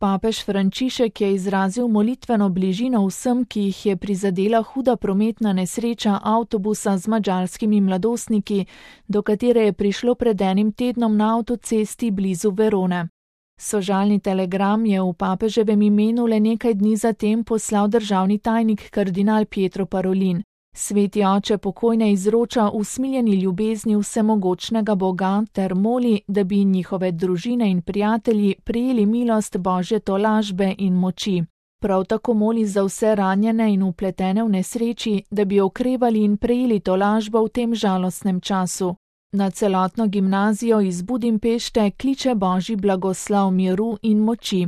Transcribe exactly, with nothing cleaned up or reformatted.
Papež Frančišek je izrazil molitveno bližino vsem, ki jih je prizadela huda prometna nesreča avtobusa z madžarskimi mladostniki, do katere je prišlo pred enim tednom na avtocesti blizu Verone. Sožalni telegram je v papeževem imenu le nekaj dni zatem poslal državni tajnik kardinal Pietro Parolin. Sveti oče pokojne izroča usmiljeni ljubezni vsemogočnega Boga ter moli, da bi njihove družine in prijatelji prejeli milost Božje tolažbe in moči. Prav tako moli za vse ranjene in vpletene v nesreči, da bi okrevali in prejeli tolažbo v tem žalostnem času. Na celotno gimnazijo iz Budimpešte kliče Božji blagoslov miru in moči.